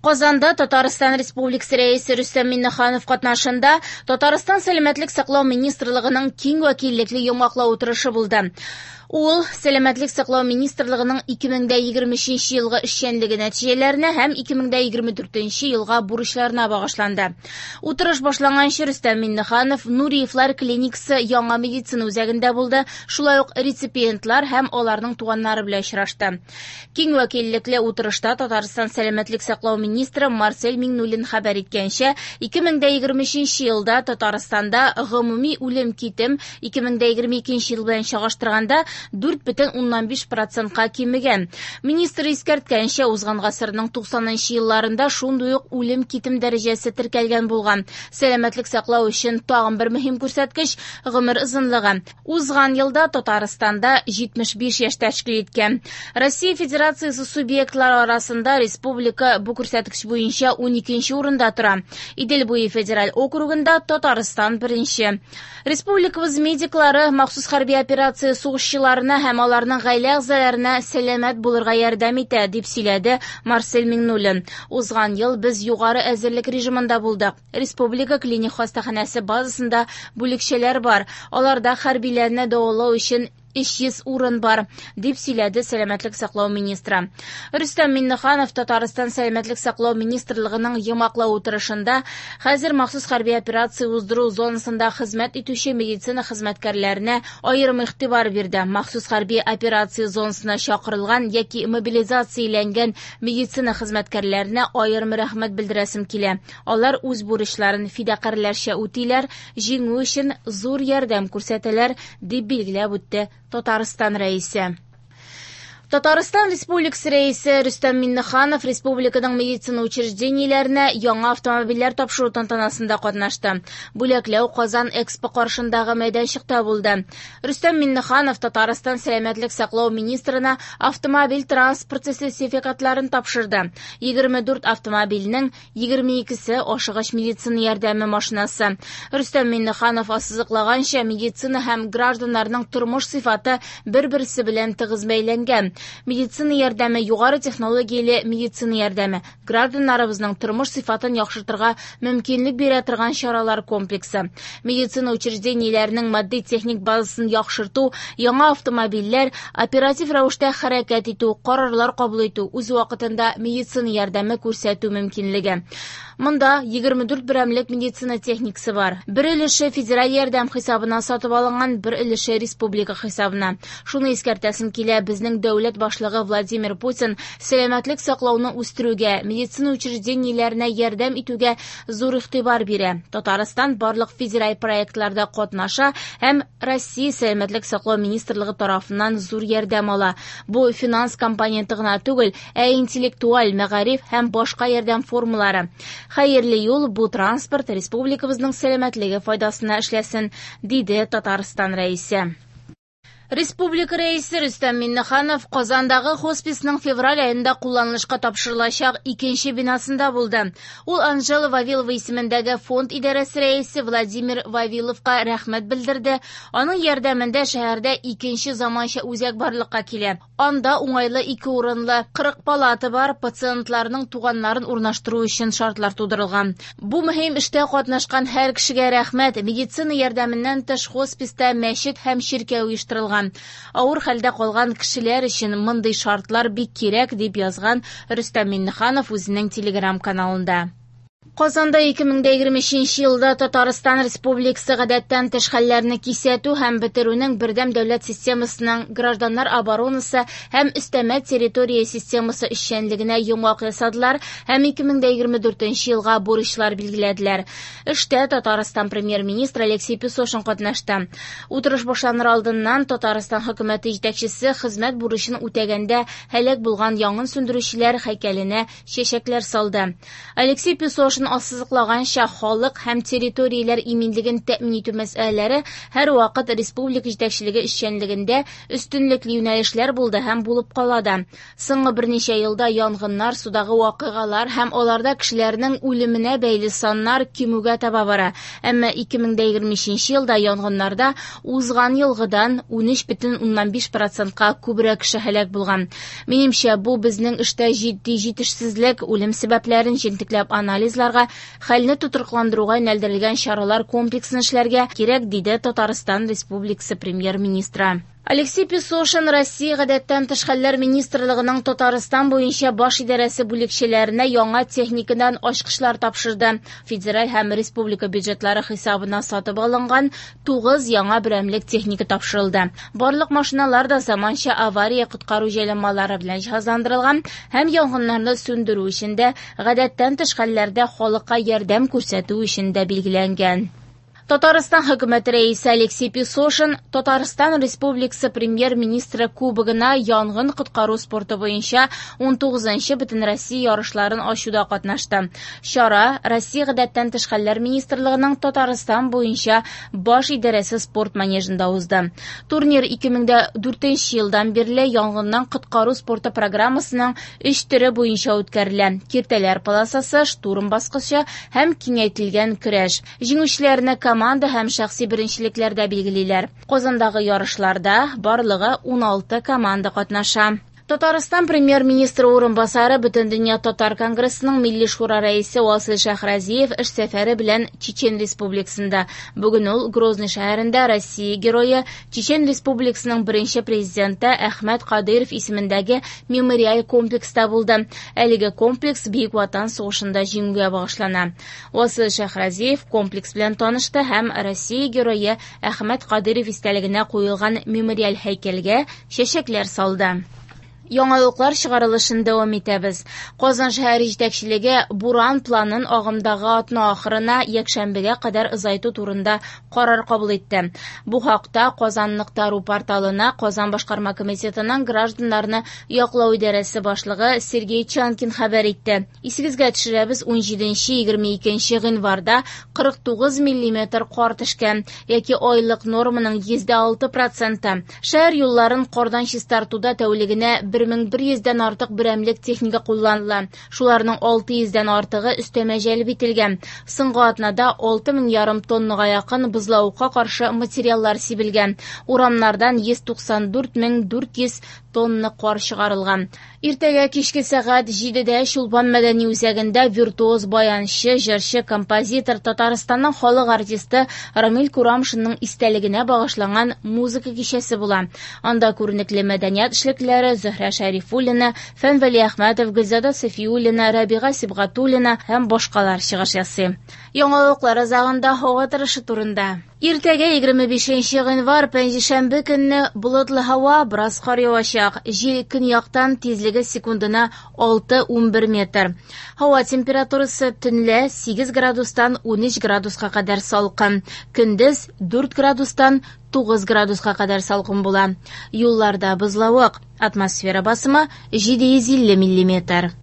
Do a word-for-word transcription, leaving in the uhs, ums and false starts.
Казанда Татарстан Республикасы Рәисе Рөстәм Миңнеханов катнашында Татарстан Сәламәтлек саклау министрлыгының киң вәкиллекле йомгаклау утырышы булды. Ул Сәламәтлек саклау министрлыгының ике мең дә егерме өченче елгы эшчәнлеге нәтиҗәләренә һәм ике мең дә егерме дүртенче елга бурычларына багышланды. Утырыш башланганчы Рөстәм Миңнеханов Нуриевлар клиникасы яңа медицина үзәгендә булды, шулай ук реципиентлар һәм аларның туганнары белән очрашты. Киң вәкиллекле утырышта Татарстан Сәламәтлек саклау министры Марсель Миңнуллин хәбәр иткәнчә, ике мең дә егерме өченче елда Татарстанда гомуми үлем китем ике мең дә егерме икенче ел белән чагыштырганда дүрт бөтен уннан биш процентка кимегән. Министр искәрткәнчә, узган гасырның туксанынчы елларында шундый ук үлем китем дәрәҗәсе теркәлгән булган. Сәламәтлек саклау өчен тагын бер мөһим күрсәткеч гомер озынлыгы. Узган елда Татарстанда җитмеш биш яшь тәшкил иткән. Россия Федерациясе субъектлары арасында республика бу күрсәткеч буенча уникенче урында тора. Идел буе федераль округында Татарстан беренче. Республикабыз медиклары махсус хәрби операция сугышчыларына һәм аларның гаилә әгъзаларына сәламәт булырга ярдәм итә, дип сөйләде Марсель Миңнуллин. Узган ел без югары әзерлек режимында булдык. Республика клиник хастаханәсе базасында бүлекчәләр бар. Аларда хәрбиләрне дәвалау өчен өч йөз урын бар, дип сөйләде Сәламәтлек саклау министры. Рөстәм Миңнеханов Татарстан Сәламәтлек саклау министрлыгының йомгаклау утырышында хәзер махсус хәрби операция уздыру зонасында хезмәт итүче медицина хезмәткәрләренә аерым игътибар бирде. Махсус хәрби операция зонасына чакырылган яки мобилизацияләнгән медицина хезмәткәрләренә аерым рәхмәт белдерәсем килә. Алар үз бурычларын фидакарьләрчә үтиләр, җиңү өчен зур ярдәм күрсәтәләр, дип билгеләп үтте Татарстан Рәисе. Татарстан Республикасы Рәисе Рөстәм Миңнеханов республиканың медицина учреждениеләренә яңа автомобильләр тапшыру тантанасында катнашты. Бүләкләү Казан Экспо каршындагы мәйданчыкта булды. Рөстәм Миңнеханов Татарстан Сәламәтлек саклау министрына автомобиль транспорты сертификатларын тапшырды. Егерме дүрт автомобильнең егерме икесе ашыгыч медицина ярдәме машинасы. Рөстәм Миңнеханов ассызыклаганча, медицина һәм гражданнарның тормыш сыйфаты бер-берсе белән тыгыз бәйләнгән. Медицина ярдәме югары технологияле медицина ярдәме, гражданнарыбызның тормыш сыйфатын яхшыртырга мөмкинлек бирә торган чаралар комплексы. Медицина учреждениеләренең матди-техник базасын яхшырту, яңа автомобильләр, оператив рәвештә хәрәкәт итү, карарлар кабул итү, үз вакытында медицина ярдәме күрсәтү мөмкинлеге. Монда егерме дүрт берәмлек медицина техникасы бар. Бер өлеше федераль ярдәм хисабына сатып алынган, бер өлеше республика хисабына. Шуны искәртәсем килә, безнең дәүләт башлыгы Владимир Путин сәламәтлек саклауны үстерүгә, медицина учреждениеләренә ярдәм итүгә зур игътибар бирә. Татарстан барлык федераль проектларда катнаша һәм Россия Сәламәтлек саклау министрлыгы тарафыннан зур ярдәм ала. Бу финанс компоненты гына түгел, ә интеллектуаль, мәгариф һәм башка ярдәм формалары. Хәерле юл, бу транспорт республикабызның сәламәтлеге файдасына эшләсен, диде Татарстан Рәисе. Республика Рәисе Рөстәм Миңнеханов Казандагы хосписның февраль аенда кулланылышка тапшырылачак икенче бинасында булды. Ул Анжела Вавилова исемендәге фонд идарәсе рәисе Владимир Вавиловка рәхмәт белдерде. Аның ярдәмендә шәһәрдә икенче заманча үзәк барлыкка килә. Анда уңайлы ике урынлы кырык палата бар, пациентларның туганнарын урнаштыру өчен шартлар тудырылган. Бу мөһим эштә катнашкан һәр кешегә рәхмәт. Медицина ярдәменнән тыш хосписта мәчет һәм чиркәү оештырылган. Авыр хәлдә калган кешеләр өчен мондый шартлар бик кирәк, дип язган Рөстәм Миңнеханов үзенең Телеграм каналында. Казанда ике мең дә егерме өченче елда Татарстан Республикасы гадәттән тыш хәлләрне кисәтү һәм бетерүнең бердәм дәүләт системасының гражданнар оборонасы һәм өстәмә территория системасы эшчәнлегенә йомгак ясадылар һәм ике мең дә егерме дүртенче елга бурычлар билгеләделәр. Эштә Татарстан премьер-министры Алексей Песошин катнашты. Утырыш башланыр алдыннан Татарстан хөкүмәте җитәкчесе хезмәт бурычын үтәгәндә һәлак булган янгын сүндерүчеләр һәйкәленә чәчәкләр салды. Алексей Песошин Песошин ассызыклаганча, халык һәм территорияләр иминлеген тәэмин итү мәсьәләләре һәрвакыт республика җитәкчелеге эшчәнлегендә өстенлекле юнәлешләр булды һәм булып кала да. Соңгы берничә елда янгыннар, судагы вакыйгалар һәм аларда кешеләрнең үлеменә бәйле саннар кимүгә таба бара. Әмма ике мең дә егерме өченче елда янгыннарда узган елгыдан унөч бөтен уннан биш процентка күбрәк кеше һәлак булган. Минемчә, бу безнең эштә җитди җитешсезлек, үлем сәбәпләрен җентекләп анализларга, хәлне тотрыкландыруга юнәлдерелгән чаралар комплексын эшләргә кирәк, диде Татарстан Республикасы премьер-министры. Алексей Песошин Россия гадәттән тыш хәлләр министрлыгының Татарстан буенча баш идарәсе бүлекчәләренә яңа техникадан ачкычлар тапшырды. Федераль һәм республика бюджетлары хисабына сатып алынган тугыз яңа берәмлек техника тапшырылды. Барлык машиналар да заманча авария коткару җайланмалары белән җиһазландырылган һәм янгыннарны сүндерү өчен дә, гадәттән тыш хәлләрдә халыкка ярдәм күрсәтү өчен дә билгеләнгән. Татарстан хөкүмәте рәисе Алексей Песошин Татарстан Республикасы премьер-министры кубогына янгын коткару спорты буенча унтугызынчы Бөтенроссия ярышларын ачуда катнашты. Чара Россия гадәттән тыш хәлләр министрлыгының Татарстан буенча баш идарәсе спорт манежында узды. Турнир ике мең дә дүртенче елдан бирле янгыннан коткару спорты программасының өч төре буенча үткәрелә: киртәләр полосасы, штурм баскычы һәм киңәйтелгән көрәш. Җиңүчеләрне команда һәм шәхси беренчелекләрдә билгелиләр. Казандагы ярышларда барлыгы уналты команда катнаша. Татарстан премьер-министры урынбасары Бөтендөнья татар конгрессының Милли шура рәисе Васил Шәһразиев эш сәфәре белән Чечен Республикасында. Бүген ул Грозный шәһәрендә Россия герое, Чечен Республикасының беренче президенты Әхмәт Кадыйров исемендәге мемориаль комплекста булды. Әлеге комплекс Бөек Ватан сугышында җиңүгә багышлана. Васил Шәһразиев комплекс белән танышты һәм Россия герое Әхмәт Кадыйров истәлегенә куелган мемориаль һәйкәлгә чәчәкләр салды. Яңалыклар чыгарылышын дәвам итәбез. Казан шәһәре җитәкчелеге буран планын агымдагы атна ахырына якшәмбегә кадәр озайту турында карар кабул итте. Бу хакта Казан нокта ру порталына Казан башкарма комитетының гражданнарны яклау идарәсе башлыгы Сергей Чанкин хәбәр итте. Исегезгә төшерәбез, унҗиденче егерме икенче гыйнварда кырык тугыз миллиметр кар төшкән, яки айлык норманың йөздә алты проценты. Шәһәр юлларын кардан чистартуда тәүлегенә бер мең бер йөздән артык берәмлек техника кулланыла. Шуларның алты йөздән артыгы өстәмә җәлеп ителгән. Соңгы атнада алты мең ярым тоннага якын бозлавыкка каршы материаллар сибелгән. Урамнардан йөз туксан дүрт мең дүрт йөз тонна кар чыгарылган. Иртәгә кичке сәгать җидедә Чулпан мәдәни үзәгендә виртуоз баянчы, җырчы, композитор, Татарстанның халык артисты Рамил Курамшинның истәлегенә багышланган музыка кичәсе була. Анда күренекле мәдәният эшлеклеләре Зөһрә Шәрифуллина, Фән Вәлиәхмәтов, Гөлзада Сафиуллина, Рабига Сибгатуллина һәм башкалар чыгыш ясый. Яңалыклар азагында һава торышы турында. Иртәгә егерме бишенче гыйнвар пәнҗешәмбе көнне болытлы һава, бераз кар явачак. Җил көньяктан, тизлеге секундына алты унбер метр. Һава температурасы төнлә сигез градустан унөч градуска кадәр салкын. Көндез дүрт градустан тугыз градуска кадәр салкын була. Юлларда бозлавык. Атмосфера басымы җиде йөз илле миллиметр.